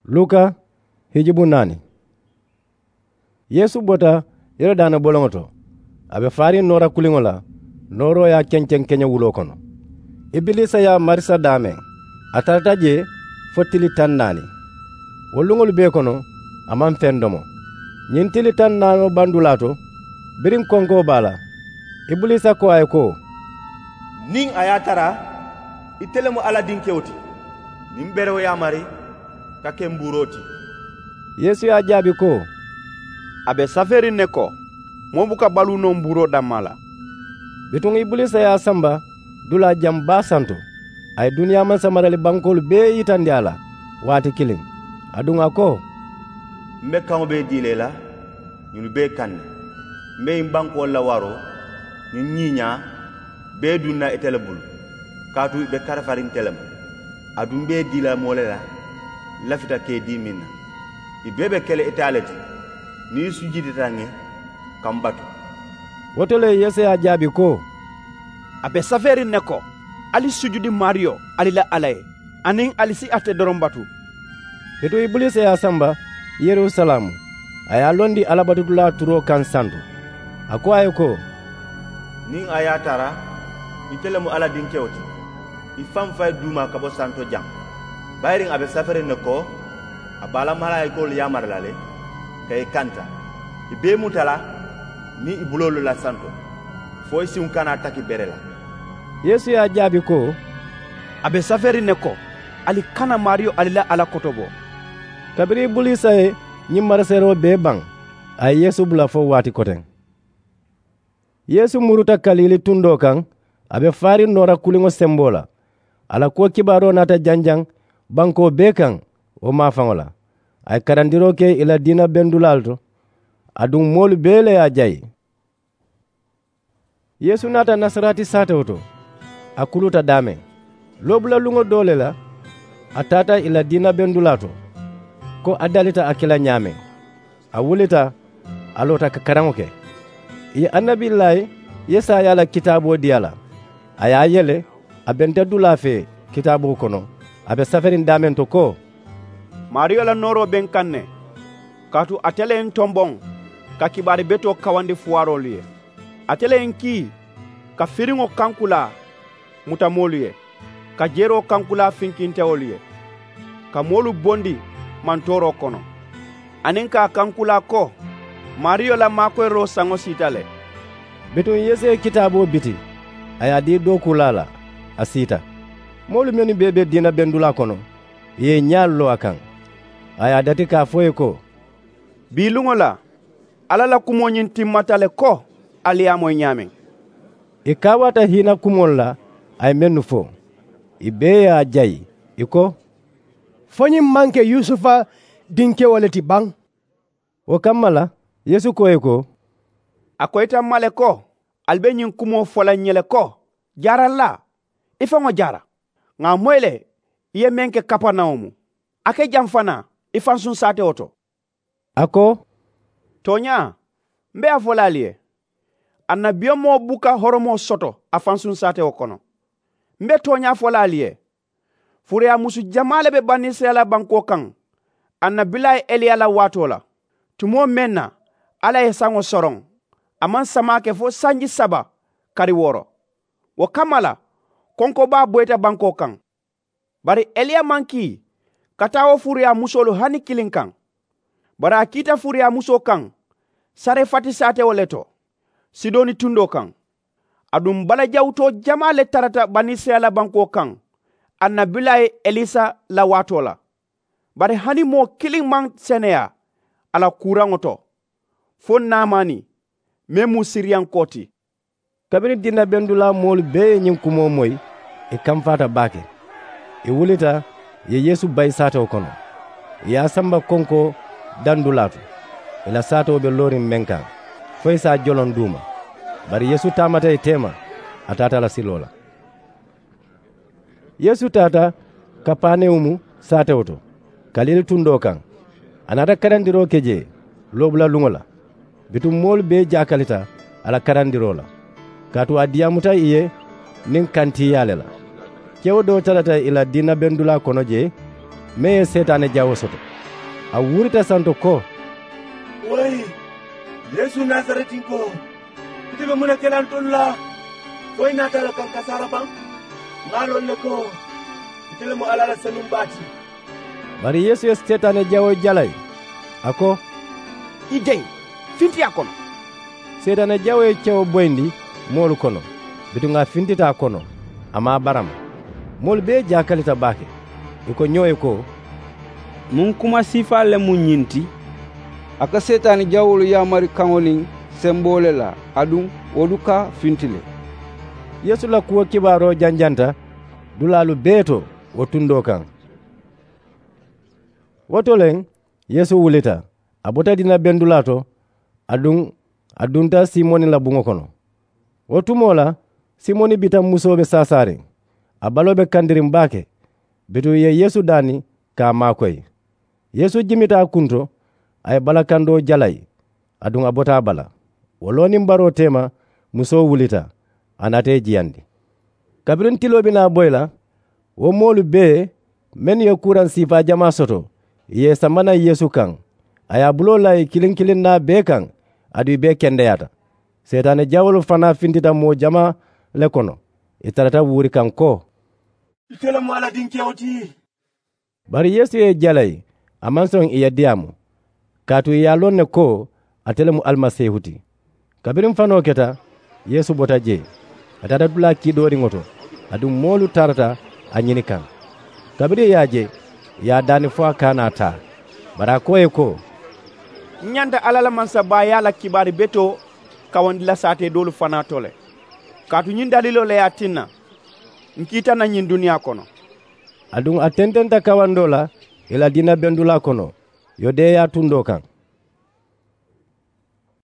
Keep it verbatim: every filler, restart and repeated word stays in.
Luka hijibu naani. Yeesu bota yorodaana boloŋo to, a be faariŋ noora kuliŋo la, nooroo ye a kenkeŋ keñewuloo kono. Ibiliisa ye a marisa daameŋ, a tarata jee fo tili taŋ naani. Wo luŋolu bee kono, a maŋ feŋ domo. Ñiŋ tili taŋ naanoo bandulaa to, biriŋ konkoo be a la, ibiliisa ko a ye ko, niŋ a ye a tara ite le mu Alla Dinkewo ti, niŋ bere wo yaamari ka ke mbuuroo ti. Yeesu ye a jaabi ko, a be safeeriŋ ne ko, moo buka baluu noo mbuuroo dammaa la. Bituŋ ibiliisa ye a samba dulaa jaŋ baa santo, a ye duniyaa mansamarali bankoolu bee yitandi a la waati kiliŋ. Aduŋ a ko, m be kaŋo bee dii la i la ñinnu bee kaŋ ne. M be ñiŋ bankoolu la waroo ñiŋ ñiiñaa bee duŋ na ite le bulu, kaatu i be karafariŋ nte le ma. Aduŋ m be i dii la moo le la lafita ka i dii meŋ na. I bee be ke la ite le ti niŋ i sujuudita ŋ ye ka m batu. Wo to le yeesu ye a jaabi ko, a be safeeriŋ ne ko, ali sujudi maariyo ali la alla ye, aniŋ ali si ate doroŋ batu. Bituŋ ibiliisa ye a samba yerusalaamu, a ye a londi alla batudulaa turoo kaŋ santo. A ko a ye ko, niŋ a ye a tara ite le mu alla dinkewo ti, i faŋ fayi duuma ka bo santo jaŋ. Bayiriŋ a be safeeriŋ ne ko, a be a la malaayikoolu yaamari la le ka i kanta, i be i muta la niŋ i buloolu la santo, fo i siŋo kana a taki bere la. Yeesu ye a jaabi ko, a be safeeriŋ ne ko, ali kana maariyo ali la alla kotobo. Kabiriŋ ibiliisa ye ñiŋ maraseeroo bee baŋ, a ye yeesu bula fo waati koteŋ. Yeesu muruta kaliili tundoo kaŋ, a be faariŋ noora kuliŋo semboo la. A la kuwo kibaaroo naata janjaŋ bankoo bee kaŋ wo maafaŋo la. A ye karandiroo ke ì la diina bendulaalu to, aduŋ moolu bee le ye a jayi. Yeesu naata nasarati saatewo to, a kuluta daameŋ. Loobula luŋo doo le la, a taata ì la diina bendulaa to, ko a dalita a ke la ñaameŋ. A wulita, a loota ka karaŋo ke. Ì ye annabillaayi yesaya la kitaaboo dii a la. A ye a yele, a be nte dulaa fee kitaaboo kono, a be saferiŋ daameŋ to ko, maariyo la nooroo be n kaŋ ne, kaatu ate le ye n tomboŋ ka kibaari betoo kawandi fuwaaroolu ye. Ate le ye n kii ka firiŋo kankulaa muta moolu ye, ka jeroo kankulaa finkintewolu ye, ka moolu bondi mantooroo kono, aniŋ ka a kankulaa ko, maariyo la maakoyiroo saŋo siita le. Bituŋ yeesu ye kitaaboo biti, a ye a dii dookuulaa la, a siita. Moolu mennu bee be diina bendulaa kono, ì ye ì ñaalu loo a kaŋ. A ye a dati ka a fo ì ye ko, bii luŋo la, alla la kumoo ñiŋ timmata le ko, ali ye a moyi ñaameŋ. Ì kaawaata hiina kumoolu la a ye mennu fo, ì bee ye a jayi, ì ko, fo ñiŋ maŋ ke yusufa dinkewo le ti baŋ? Wo kamma la, yeesu ko ì ye ko, a koyita m ma le ko, ali be ñiŋ kumoo fo la ǹ ye le ko, jaarallaa, i faŋo jaara. Ŋà a moyi le, i ye meŋ ke kaparinawumu, a ke jaŋ fanaa i fansuŋ saatewo to. A ko, tooñaa, m be a fo la ali ye, annabiyomoo buka horomoo soto a fansuŋ saatewo kono. M be tooñaa fo la ali ye, furuyaamusu jamaa le be banisirayila bankoo kaŋ annabilaayi eliya la waatoo la, tumoo meŋ na alla ye saŋo soroŋ. A maŋ samaa ke fo sanji saba kari wooro. Wo kamma la, konkoo baa boyita bankoo kaŋ. Bari eliya maŋ kii ka taa wo furuyaamusolu hani kiliŋ kaŋ. Bari a kiita furuyaamusoo kaŋ sarefati saatewo le to, sidoni tundoo kaŋ. Aduŋ balajawutoo jamaa le tarata banisirayila bankoo kaŋ annabilaayi elisa la waatoo la. Bari hani moo kiliŋ maŋ seneyaa a la kuuraŋo to, fo naamani meŋ mu siriyankoo ti. Kabiriŋ diina bendulaa moolu bee ye ñiŋ kumoo moyi, ì kamfaata baake. Ì wulita, ì ye yeesu bayi saatewo kono, ì ye a samba konkoo dandulaa to, ì la saatewo be looriŋ meŋ kaŋ, fo ì si a joloŋ duuma. Bari yeesu taamata ì teema, a taata a la siloo la. Yeesu taata kapanewumu saatewo to, kaliili tundoo kaŋ. A naata karandiroo ke jee loobula luŋo la. Bituŋ moolu bee jaakalita a la karandiroo la, kaatu a diyaamuta ì ye niŋ kantiiyaa le la. Kewo doo tarata ì la diina bendulaa kono jee, meŋ ye seetaane jawoo soto. A wuurita santo ko, woyi, yeesu nasaretinkoo, ite be muŋ ne ke la ntolu la? Fo i naata a la kaŋ kasaara baŋ? Ŋa a loŋ ne ko ite le mu alla la senuŋ baa ti. Bari yeesu ye seetaane jawoo jalayi, a ko, i deŋ, finti a kono. Seetaane jawoo ye kewo boyindi moolu kono, bituŋ a fintita a kono, a maŋ a barama. Moolu bee jaakalita baake. I ko ñoo ye ko, muŋ kuma siifaa le mu ñiŋ ti? A ka seetaani jawoolu yaamari kaŋo niŋ semboo le la, aduŋ wo du ka finti le. Yeesu la kuwo kibaaroo janjanta dulaalu bee to wo tundoo kaŋ. Wo to le, yeesu wulita, a bota diina bendulaa to, aduŋ a dunta simoni la buŋo kono. Wo tumoo la, simoni bita musoo be saasaariŋ, a baloo be kandiriŋ baake. Bituŋ ì ye yeesu daani ka a maakoyi. Yeesu jimita a kunto, a ye balakandoo jalayi, aduŋ a bota a bala. Wo looniŋ baroo teema, musoo wulita, a naata ì jiyandi. Kabiriŋ tiloo be naa boyi la, wo moolu bee mennu ye kuuraŋ siifaa jamaa soto, ì ye ì sama naŋ yeesu kaŋ. A ye a buloo laa ì kiliŋ kiliŋ naa bee kaŋ, aduŋ ì bee kendeyaata. Seetaane jawoolu fanaa fintita moo jamaa le kono. Ì tarata wuuri kaŋ ko, ite le mu alla dinkewo ti. Bari yeesu ye ì jalayi, a maŋ soŋ ì ye diyaamu, kaatu ì ye a loŋ ne ko ate le mu alimasiihu ti. Kabiriŋ fanoo keta, yeesu bota jee, a taata dulaa kiidooriŋo to, aduŋ moolu tarata a ñini kaŋ. Kabiriŋ ì ye a je, ì ye a daani fo a kaana a taa. Bari a ko ì ye ko, n ñanta alla la mansabaayaa la kibaari betoo kawandi la saatee doolu fanaa to le. Kaatu ñiŋ daliiloo le ye a tinna n kiita naŋ ñiŋ duniyaa kono. Aduŋ a tententa kawandoo la ì la diina bendulaa kono, yudeya tundoo kaŋ.